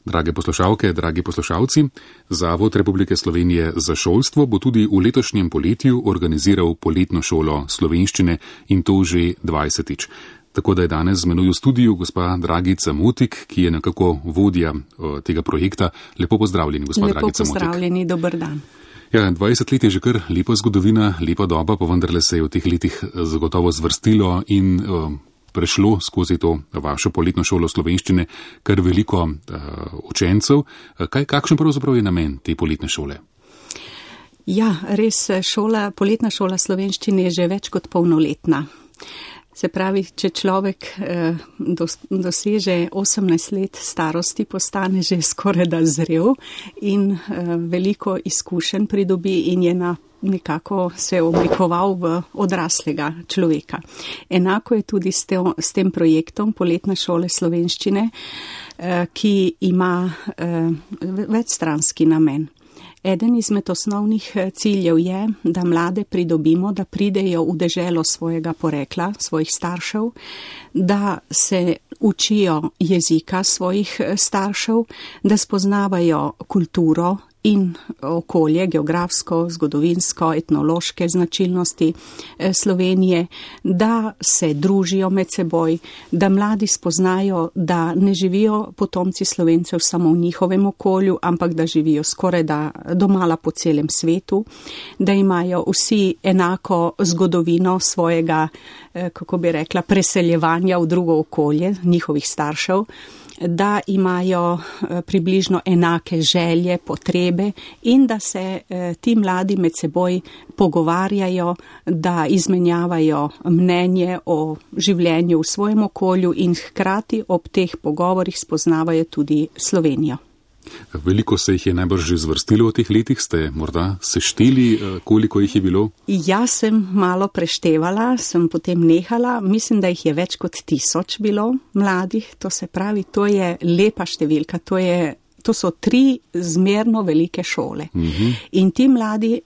Drage poslušalke, dragi poslušalci, Zavod Republike Slovenije za šolstvo bo tudi v letošnjem poletju organiziral poletno šolo slovenščine in to že 20-tič. Tako da je danes z menoj v studiu gospa Dragica Motik, ki je nekako vodja tega projekta. Lepo pozdravljeni, gospa Dragica Motik. Lepo pozdravljeni, dober dan. Ja, 20 let je že kar lepa zgodovina, lepa doba, pa vendarle se je v teh letih zagotovo zvrstilo in prešlo skozi to vašo poletno šolo slovenščine kar veliko učencev. Kakšen pravzaprav je namen te poletne šole? Ja, res, poletna šola slovenščine je že več kot polnoletna. Se pravi, če človek doseže 18 let starosti, postane že skoraj da zrel in veliko izkušenj pridobi in je nekako se oblikoval v odraslega človeka. Enako je tudi s tem projektom Poletna šole slovenščine, ki ima večstranski namen. Eden izmed osnovnih ciljev je, da mlade pridobimo, da pridejo v deželo svojega porekla, svojih staršev, da se učijo jezika svojih staršev, da spoznavajo kulturo in okolje, geografsko, zgodovinsko, etnološke značilnosti Slovenije, da se družijo med seboj, da mladi spoznajo, da ne živijo potomci Slovencev samo v njihovem okolju, ampak da živijo skoraj da domala po celem svetu, da imajo vsi enako zgodovino svojega, kako bi rekla, preseljevanja v drugo okolje njihovih staršev, da imajo približno enake želje, potrebe in da se ti mladi med seboj pogovarjajo, da izmenjavajo mnenje o življenju v svojem okolju in hkrati ob teh pogovorih spoznavajo tudi Slovenijo. Veliko se jih je najbrž že zvrstilo v teh letih, ste morda sešteli, koliko jih je bilo? Jaz sem malo preštevala, sem potem nehala, mislim, da jih je več kot 1000 bilo mladih, to se pravi, to je lepa številka, to so 3 zmerno velike šole. In ti mladi,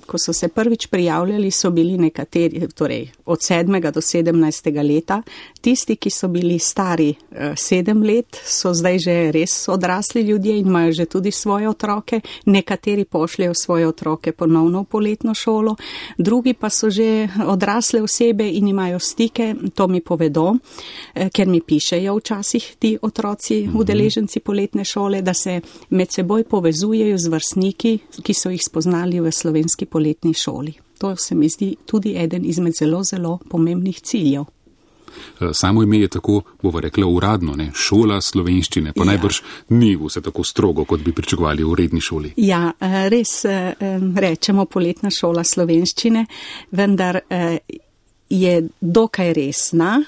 ko so se prvič prijavljali, so bili nekateri, torej od 7. do 17. leta. Tisti, ki so bili stari 7 let, so zdaj že res odrasli ljudje in imajo že tudi svoje otroke. Nekateri pošljajo svoje otroke ponovno v poletno šolo, drugi pa so že odrasle osebe in imajo stike, to mi povedo, ker mi pišejo včasih ti otroci, udeleženci poletne šole, da se med seboj povezujejo z vrstniki, ki so jih spoznali v slovenski poletni šoli. To se mi zdi tudi eden izmed zelo, zelo pomembnih ciljev. Samo ime je tako, bova rekla, uradno, ne? Šola slovenščine, pa najbrž ni vse tako strogo, kot bi pričakovali v redni šoli. Ja, res rečemo poletna šola slovenščine, vendar je dokaj resna,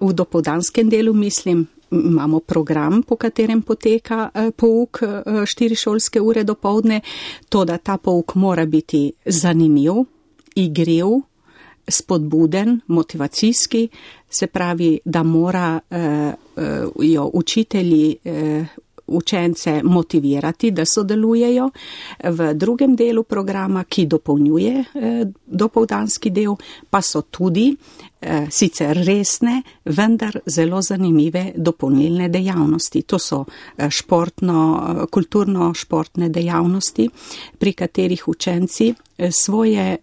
v dopoldanskem delu mislim, imamo program, po katerem poteka pouk 4 šolske ure dopoldne, to da ta pouk mora biti zanimiv, igriv, spodbuden, motivacijski, se pravi, da morajo učitelji učence motivirati, da sodelujejo. V drugem delu programa, ki dopolnjuje dopoldanski del, pa so tudi sicer resne, vendar zelo zanimive dopolnilne dejavnosti. To so kulturno-športne dejavnosti, pri katerih učenci svoje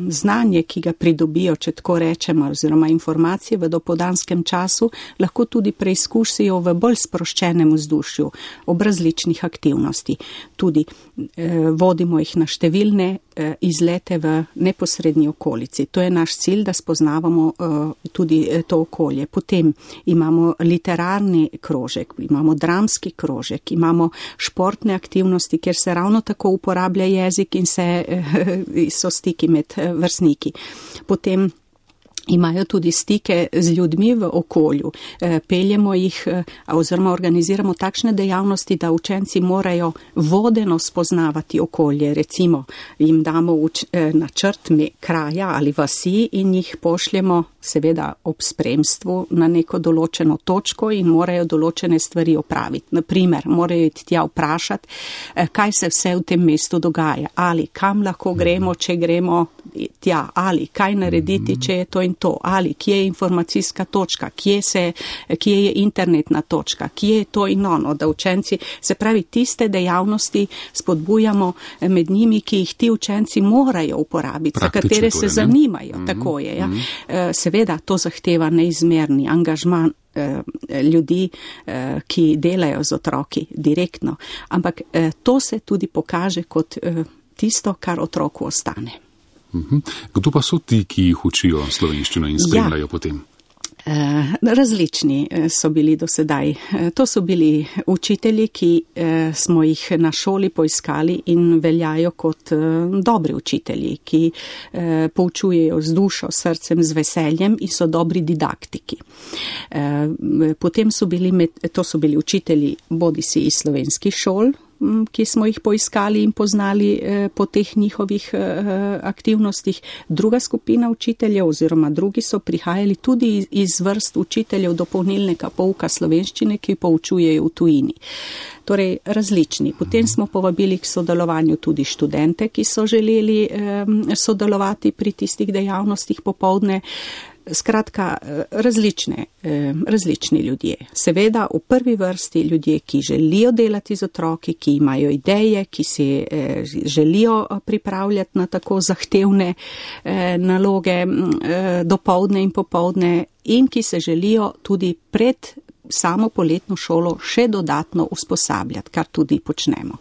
znanje, ki ga pridobijo, če tako rečemo, oziroma informacije v dopoldanskem času, lahko tudi preizkusijo v bolj sproščenem vzdušju ob različnih aktivnosti. Tudi vodimo jih na številne izlete v neposrednji okolici. To je naš cilj, da spoznavamo tudi to okolje. Potem imamo literarni krožek, imamo dramski krožek, imamo športne aktivnosti, kjer se ravno tako uporablja jezik in so stiki med vrstniki. Potem imajo tudi stike z ljudmi v okolju. Peljemo jih oziroma organiziramo takšne dejavnosti, da učenci morajo vodeno spoznavati okolje. Recimo jim damo načrt kraja ali vasi in jih pošljemo seveda ob spremstvu na neko določeno točko in morajo določene stvari opraviti. Naprimer, morajo iti tja vprašati, kaj se vse v tem mestu dogaja ali kam lahko gremo, če gremo tja, ali kaj narediti, če je to in to, ali kje je informacijska točka, kje je internetna točka, kje je to in ono, da učenci, se pravi, tiste dejavnosti spodbujamo med njimi, ki jih ti učenci morajo uporabiti, za katere se zanimajo, tako je. Ja. Seveda, to zahteva neizmerni angažman ljudi, ki delajo z otroki direktno, ampak to se tudi pokaže kot tisto, kar otroku ostane. Kdo pa so ti, ki jih učijo slovenščino in spremljajo potem? Različni so bili do sedaj. To so bili učitelji, ki smo jih na šoli poiskali in veljajo kot dobri učitelji, ki poučujejo z dušo, srcem, z veseljem in so dobri didaktiki. Potem so bili učitelji bodisi iz slovenskih šol, ki smo jih poiskali in poznali po teh njihovih aktivnostih. Druga skupina učiteljev oziroma drugi so prihajali tudi iz vrst učiteljev dopolnilnega pouka slovenščine, ki poučujejo v tujini. Torej različni. Potem smo povabili k sodelovanju tudi študente, ki so želeli sodelovati pri tistih dejavnostih popoldne. Skratka, različni ljudje. Seveda v prvi vrsti ljudje, ki želijo delati z otroki, ki imajo ideje, ki se želijo pripravljati na tako zahtevne naloge dopoldne in popoldne in ki se želijo tudi pred samo poletno šolo še dodatno usposabljati, kar tudi počnemo.